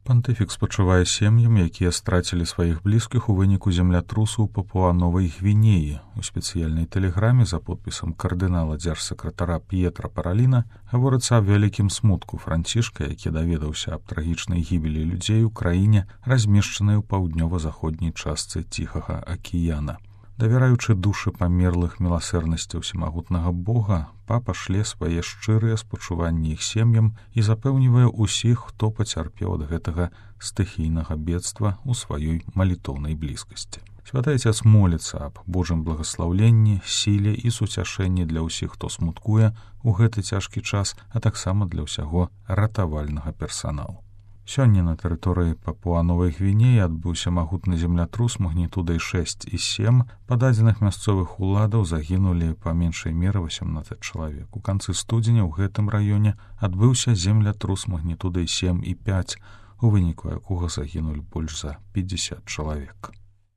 Пантыфік спачувае сем'ям, якія страцілі сваіх блізкіх у выніку землятрусу ў Папуа-Новай Гвінеі. У спецыяльнай тэлеграме за подпісам кардынала дзяржсакратара П'етра Параліна гаворыцца аб вялікім смутку Францішка, які даведаўся аб трагічнай гібелі людзей у краіне, размешчанай у паўднёва-заходняй частцы Ціхага акіяна. Давяраючы душы памерлых міласэрнасці ўсемагутнага Бога, папа шле свае шчырыя спачуванні іх сем'ям і запэўнівае ўсіх, хто пацярпеў ад гэтага стыхійнага бедства ў сваёй малітоўнай блізкасці. Святы Отец моліцца аб Божым благаслаўленні, сіле і суцяшэнні для ўсіх, хто смуткуе ў гэты цяжкі час, а таксама для ўсяго ратавальнага персаналу. Сёння на тэрыторыі Папуа-Новай Гвінеі адбыўся магутны землятрус магнітудай 6 і 7. Па дадзеных мясцовых уладаў загінулі па меншай меры 18 чалавек. У канцы студзеня ў гэтым раёне адбыўся землятрус магнітудай 7 і 5, у выніку якога загінулі больш за 50 чалавек.